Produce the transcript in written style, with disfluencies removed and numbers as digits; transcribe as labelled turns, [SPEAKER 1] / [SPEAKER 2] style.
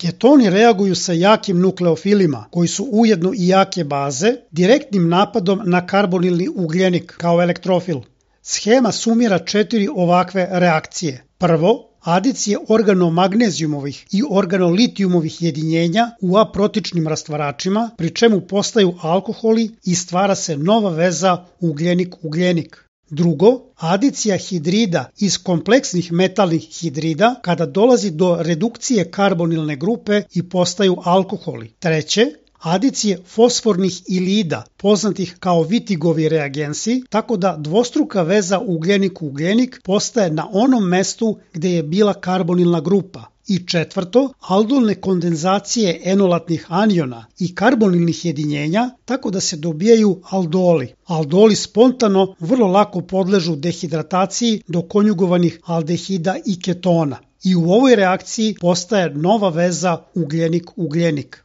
[SPEAKER 1] Ketoni reaguju sa jakim nukleofilima, koji su ujedno i jake baze, direktnim napadom na karbonilni ugljenik kao elektrofil. Shema sumira 4 ovakve reakcije. Prvo, adicije organomagnezijumovih i organolitijumovih jedinjenja u aprotičnim rastvaračima, pri čemu postaju alkoholi i stvara se nova veza ugljenik-ugljenik. Drugo, adicija hidrida iz kompleksnih metalnih hidrida kada dolazi do redukcije karbonilne grupe i postaju alkoholi. Treće, adicije fosfornih ilida, poznatih kao Wittigovi reagensi, tako da dvostruka veza ugljenik-ugljenik postaje na onom mestu gde je bila karbonilna grupa. I četvrto, aldolne kondenzacije enolatnih aniona i karbonilnih jedinjenja, tako da se dobijaju aldoli. Aldoli spontano vrlo lako podležu dehidrataciji do konjugovanih aldehida i ketona. I u ovoj reakciji postaje nova veza ugljenik-ugljenik.